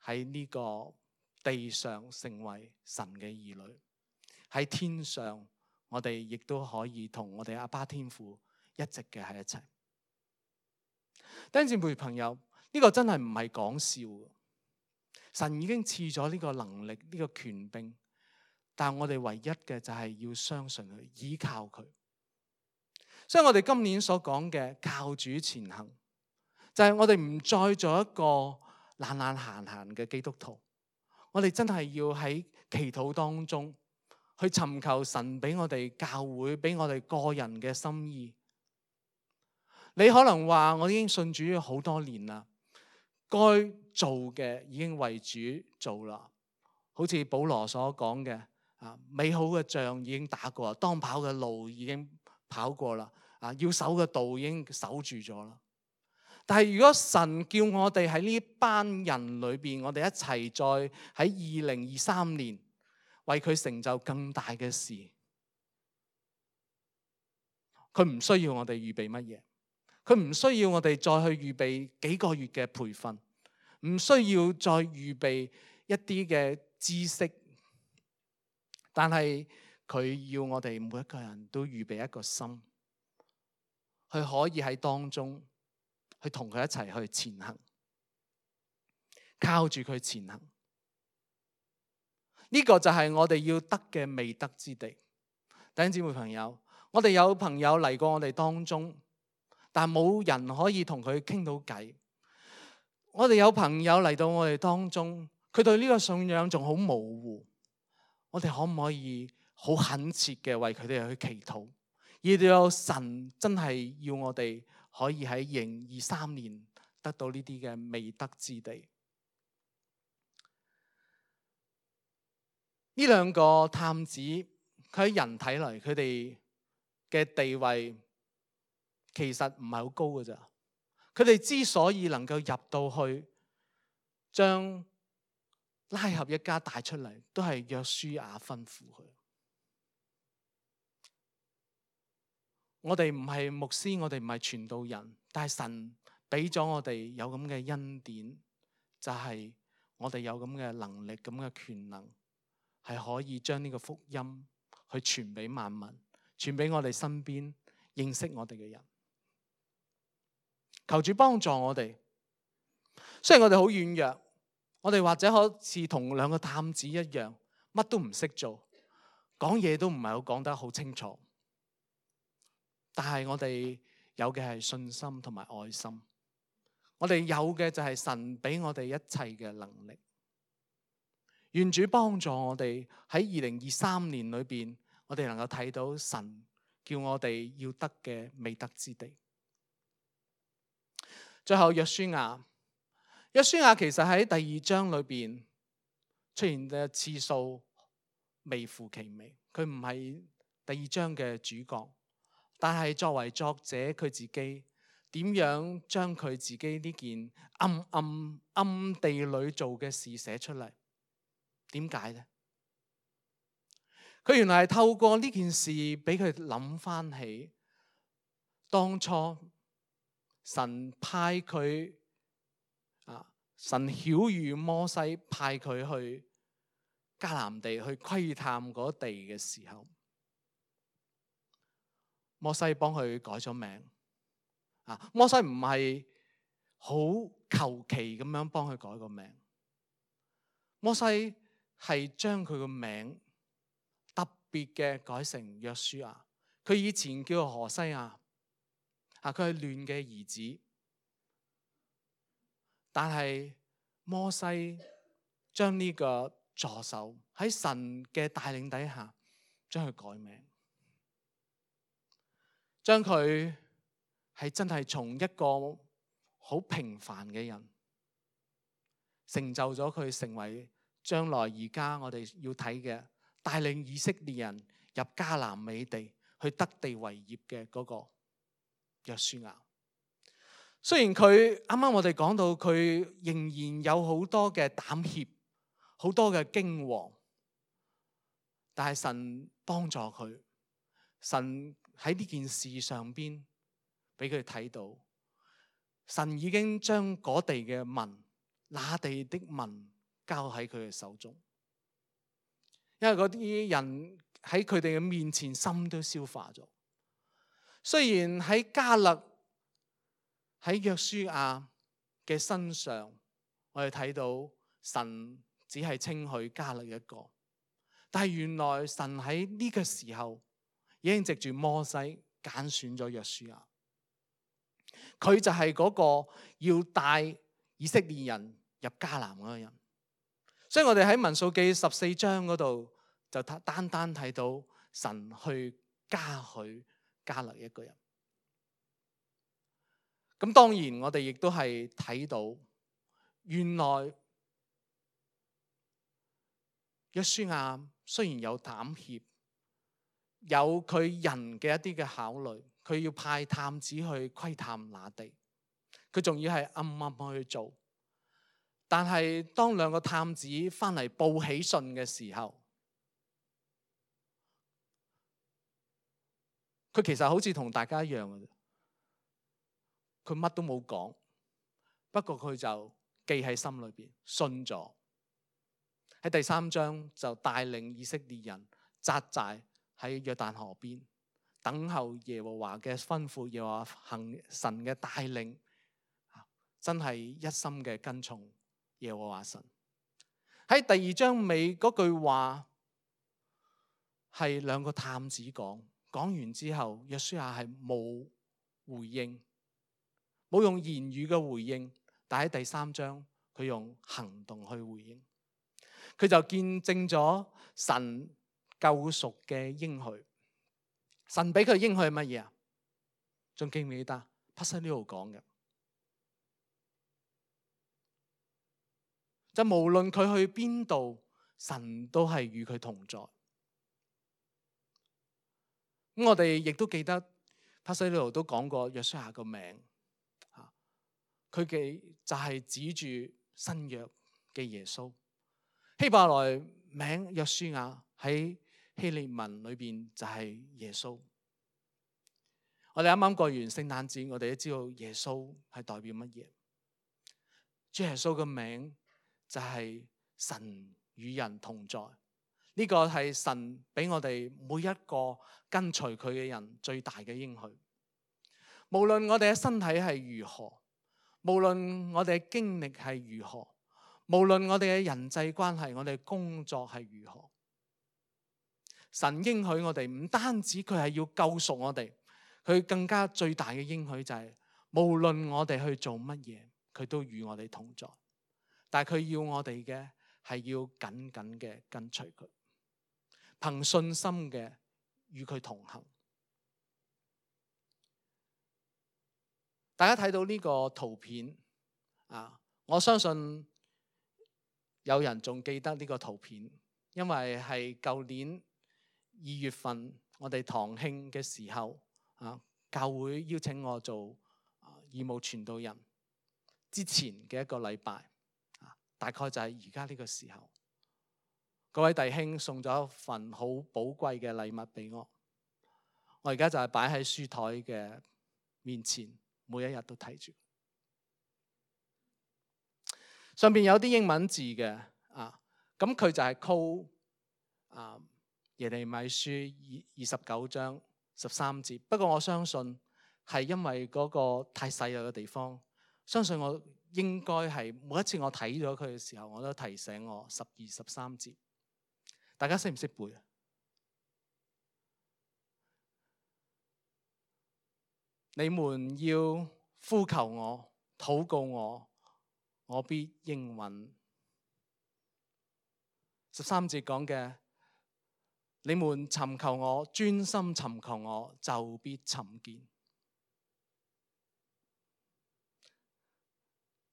喺呢個地上成為神嘅兒女。喺天上我哋亦都可以同我哋阿爸天父一直嘅喺一齊。弟兄姊妹朋友，呢個真係唔係講笑。神已經賜咗呢個能力、呢個權柄，但係我哋唯一嘅就係要相信佢，依靠佢。所以我哋今年所講嘅靠主前行，就係我哋唔再做一個懶懶閒閒嘅基督徒。我哋真係要喺祈禱當中去尋求神俾我哋教會、俾我哋個人嘅心意。你可能話我已經信主好多年啦，該做嘅已經為主做啦。好似保羅所講嘅，美好嘅仗已經打過，當跑嘅路已經跑過啦，要守嘅道已經守住咗啦。但係如果神叫我哋喺呢班人裏邊，我哋一齊再喺2023年為佢成就更大嘅事，佢唔需要我哋預備乜嘢，佢唔需要我哋再去預備幾個月嘅培訓，唔需要再預備一啲嘅知識，但係佢要我哋每一個人都預備一個心，佢可以喺當中去同佢一齊去前行，靠住佢前行。呢個就係我哋要得嘅未得之地。弟兄姊妹朋友，我哋有朋友嚟過我哋當中，但冇人可以同佢傾到偈。我哋有朋友嚟到我哋當中，佢對呢個信仰仲好模糊。我哋可唔可以好懇切嘅為佢哋去祈禱，而到有神真係要我哋可以喺2023年得到呢啲嘅未得之地。呢兩個探子，佢喺人睇嚟，佢哋嘅地位其實唔係好高㗎咋。佢哋之所以能夠入到去，將拉合一家帶出嚟，都係約書亞吩咐佢。我哋唔係牧師，我哋唔係傳道人，但係神俾咗我哋有咁嘅恩典，就係我哋有咁嘅能力、咁嘅權能，係可以將呢個福音去傳俾萬民，傳俾我哋身邊認識我哋嘅人。求主幫助我哋。雖然我哋好軟弱，我哋或者好似同兩個探子一樣，乜都唔識做，講嘢都唔係好講得好清楚，但係我哋有嘅係信心同埋愛心。我哋有嘅就係神俾我哋一切嘅能力。願主幫助我哋喺2023年裏邊，我哋能夠睇到神叫我哋要得嘅未得之地。最後約書亞其實喺第2章裏邊出現嘅次數微乎其微，佢唔係第2章嘅主角，但係作為作者佢自己點樣將佢自己呢件暗地裏做嘅事寫出嚟？點解呢？佢原來係透過呢件事俾佢諗翻起當初神派佢神曉諭摩西派佢去迦南地去窺探嗰地嘅時候，摩西幫佢改咗名。摩西唔係好求其咁樣幫佢改個名，摩西係將佢個名特別嘅改成約書亞。佢以前叫何西亞，佢係亂嘅兒子，但係摩西將呢個助手喺神嘅帶領底下，將佢改名，將佢係真係從一個好平凡嘅人，成就咗佢成為將來而家我哋要睇嘅帶領以色列人入迦南美地去得地為業嘅嗰個約書亞。雖然佢啱啱我哋講到佢仍然有好多嘅膽怯，好多嘅驚惶，但係神幫助佢，神喺呢件事上邊俾佢睇到，神已經將嗰地嘅民，那地的民交喺佢嘅手中，因為嗰啲人喺佢哋嘅面前心都消化咗。雖然喺迦勒喺約書亞嘅身上，我哋睇到神只係稱許迦勒一個，但係原來神喺呢個時候已經藉住摩西揀選咗約書亞，佢就係嗰個要帶以色列人入迦南嗰個人。所以我哋喺民數記14章嗰度就單單睇到神去加許迦勒一個人。咁當然我哋亦都係睇到，原來約書亞雖然有膽怯，有佢人嘅一啲嘅考慮，佢要派探子去窺探那地，佢仲要係暗暗去做。但係當兩個探子翻嚟報喜訊嘅時候，佢其實好似同大家一樣嘅，佢乜都冇講，不過佢就記喺心裏邊，信咗。喺第3章就帶領以色列人紮寨喺約旦河邊，等候耶和華嘅吩咐，耶和華行神嘅帶領，真係一心嘅跟從耶和華神。喺第2章尾嗰句話係兩個探子講完之後，約書亞係冇回應，冇用言語嘅回應，但喺第3章佢用行動去回應。佢就見證咗神救贖嘅應許。神俾佢應許係乜嘢啊？仲記唔記得？帕西呢度講嘅，就無論佢去邊度，神都係與佢同在。咁我哋亦都記得帕西呢度都講過約書亞個名，佢嘅就係指住新約嘅耶穌。希伯來名約書亞喺希臘文裏邊就係耶穌。我哋啱啱過完聖誕節，我哋都知道耶穌係代表乜嘢。主耶穌嘅名就係神與人同在。呢個係神俾我哋每一個跟隨佢嘅人最大嘅應許。無論我哋嘅身體係如何，無論我哋嘅經歷係如何，無論我哋嘅人際關係，我哋嘅工作係如何，神應許我哋唔單止佢係要救贖我哋，佢更加最大嘅應許就係無論我哋去做乜嘢，佢都與我哋同在。但係佢要我哋嘅係要緊緊嘅跟隨佢，憑信心嘅與佢同行。大家睇到呢個圖片啊，我相信有人仲記得呢個圖片，因為係舊年2月份我哋堂慶嘅時候啊，教會邀請我做義務傳道人之前嘅一個禮拜，大概就係而家呢個時候，各位弟兄送咗一份好寶貴嘅禮物俾我，我而家就係擺喺書台嘅面前，每一日都睇住。上邊有啲英文字嘅咁佢就係 call 耶利米書29章13節。不過我相信係因為嗰個太細嘅地方，相信我應該係每一次我睇咗佢嘅時候，我都提醒我12、13節。大家識唔識背啊？你們要呼求我、禱告我，我必應允。13節講嘅，你們尋求我，專心尋求我，就必尋見。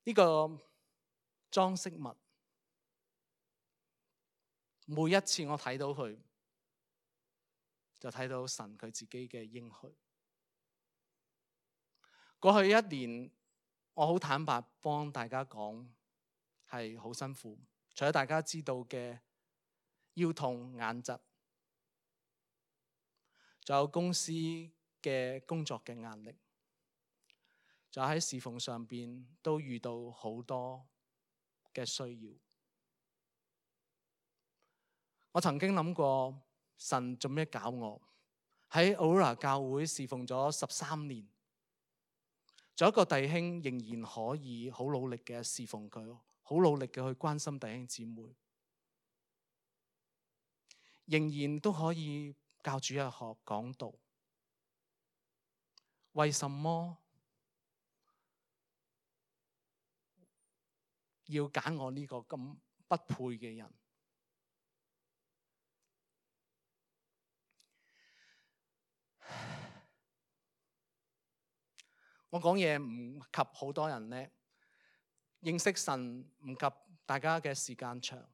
呢個裝飾物，每一次我睇到佢，就睇到神佢自己嘅應許。過去1年，我好坦白幫大家講，係好辛苦。除咗大家知道嘅腰痛、眼疾，仲有公司嘅工作嘅壓力，仲有喺侍奉上邊都遇到好多嘅需要。我曾經諗過，神做咩搞我？喺 Aurora 教會侍奉咗13年，仲有一個弟兄仍然可以好努力嘅侍奉佢，好努力嘅去關心弟兄姊妹，仍然都可以教主日學講道。為什麼要揀我呢個咁不配嘅人？我講嘢唔及好多人叻，認識神唔及大家嘅時間長，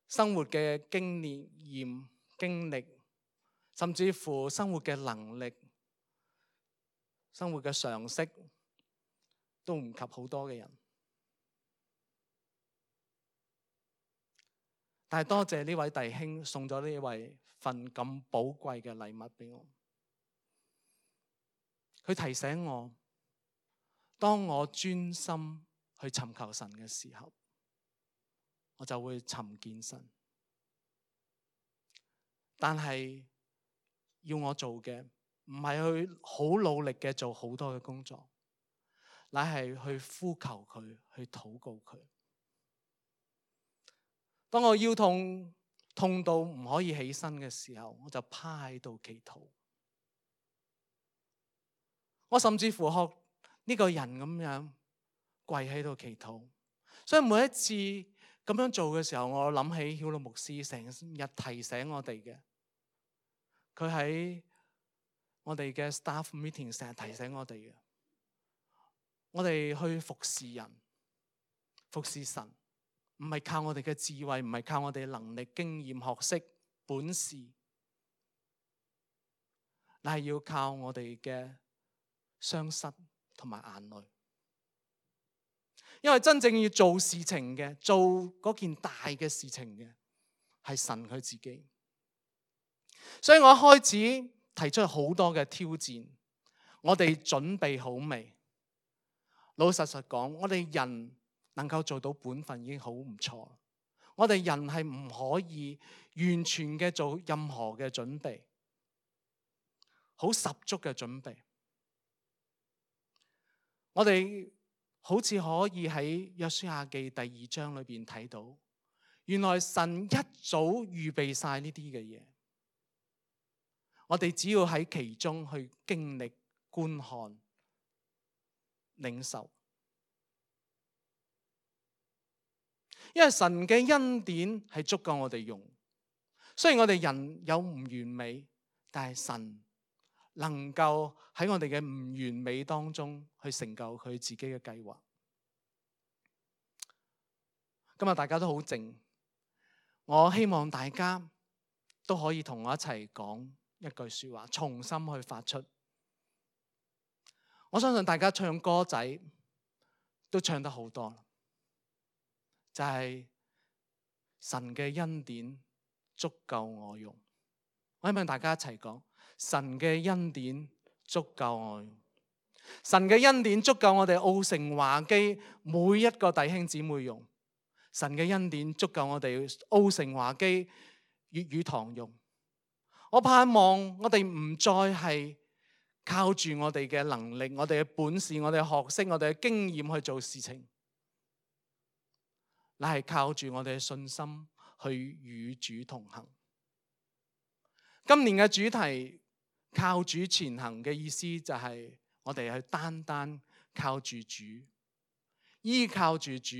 生活嘅經歷，甚至乎生活嘅能力、生活嘅常識，都唔及好多嘅人。但係多謝呢位弟兄送咗呢位份咁寶貴嘅禮物俾我。佢提醒我，當我專心去尋求神嘅時候，我就會尋見神。但係要我做嘅唔係去好努力嘅做好多嘅工作，乃係去呼求佢，去禱告佢。當我腰痛到唔可以起身嘅時候，我就趴喺度祈禱。我甚至乎學呢個人咁樣跪喺度祈禱。所以每一次咁樣做嘅時候，我諗起曉樂牧師成日提醒我哋嘅，佢喺我哋嘅 staff meeting 成日提醒我哋嘅，我哋去服侍人、服侍神，唔係靠我哋嘅智慧，唔係靠我哋嘅能力、經驗、學識、本事，但係要靠我哋嘅雙膝同埋眼淚。因為真正要做事情嘅，做嗰件大嘅事情嘅，係神佢自己。所以我一開始提出好多嘅挑戰，我哋準備好未？老實講，我哋人能夠做到本分已經好唔錯。我哋人係唔可以完全嘅做任何嘅準備，好十足嘅準備。我哋好似可以喺約書亞記第2章裏邊睇到，原來神一早預備晒呢啲嘅嘢，我哋只要喺其中去經歷、觀看、領受。因為神嘅恩典係足夠我哋用，雖然我哋人有唔完美，但係神能夠喺我哋嘅唔完美當中去成就佢自己嘅計劃。今日大家都好靜，我希望大家都可以同我一齊講一句說話，重新去發出。我相信大家唱歌仔都唱得好多，就係神嘅恩典足夠我用。我希望大家一齊講，神嘅恩典足夠我用。神嘅恩典足夠我哋澳城華基每一個弟兄姊妹用。神嘅恩典足夠我哋澳城華基粵語堂用。我盼望我哋唔再係靠住我哋嘅能力、我哋嘅本事、我哋嘅學識、我哋嘅經驗去做事情，乃係靠住我哋嘅信心去與主同行。今年嘅主題靠主前行嘅意思就係我哋去單單靠住主，依靠住主，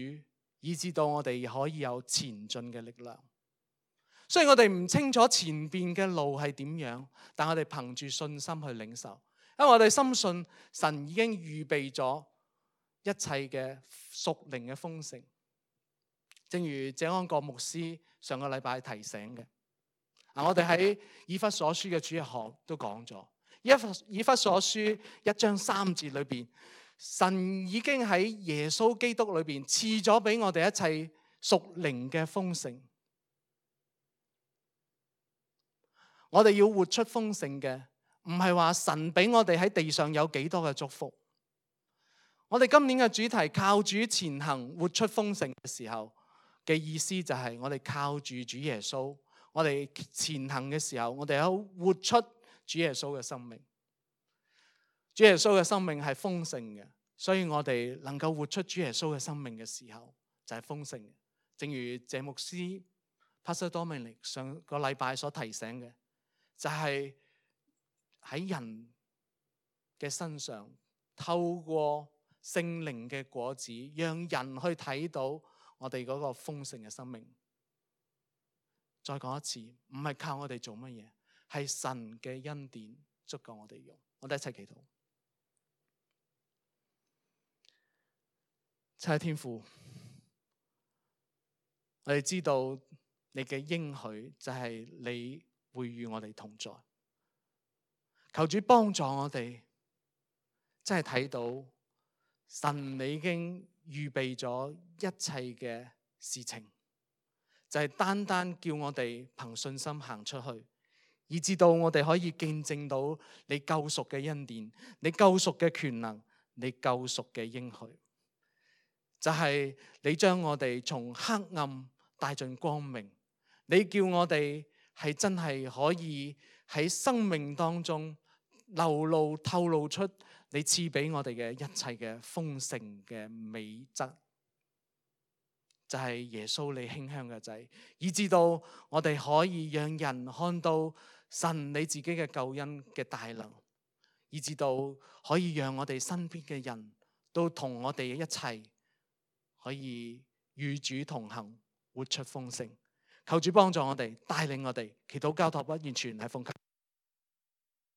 以致到我哋可以有前進嘅力量。雖然我哋唔清楚前邊嘅路係點樣，但我哋憑住信心去領受，因為我哋深信神已經預備咗一切嘅屬靈嘅豐盛。正如謝安國牧師上個禮拜提醒嘅，我哋喺以弗所書嘅主日學都講咗，以弗所書1章3節裏邊，神已經喺耶穌基督裏邊賜咗俾我哋一切屬靈嘅豐盛。我哋要活出豐盛嘅，唔係話神俾我哋喺地上有幾多嘅祝福。我哋今年嘅主題靠主前行，活出豐盛嘅時候嘅意思就係我哋靠住主耶穌，我哋前行嘅時候，我哋有活出主耶穌嘅生命。主耶穌嘅生命係豐盛嘅，所以我哋能夠活出主耶穌嘅生命嘅時候就係豐盛嘅。正如謝牧師 Pastor Dominic 上個禮拜所提醒嘅，就係喺人嘅身上透過聖靈嘅果子，讓人去睇到我哋嗰個豐盛嘅生命。再講一次，唔係靠我哋做乜嘢，係神嘅恩典足夠我哋用。我哋一齊祈禱。親愛天父，我哋知道你嘅應許就係你會與我哋同在。求主幫助我哋，真係睇到神你已經預備咗一切嘅事情，就係單單叫我哋憑信心行出去，以至到我哋可以見證到你救贖嘅恩典，你救贖嘅權能，你救贖嘅應許，就係你將我哋從黑暗帶進光明，你叫我哋係真係可以喺生命當中流露透露出你賜俾我哋嘅一切嘅豐盛嘅美質，就係耶穌你馨香嘅仔，以至到我哋可以讓人看到神你自己嘅救恩嘅大能，以至到可以讓我哋身邊嘅人都同我哋一齊可以與主同行，活出豐盛。求主幫助我哋，帶領我哋，祈禱交託不完全係奉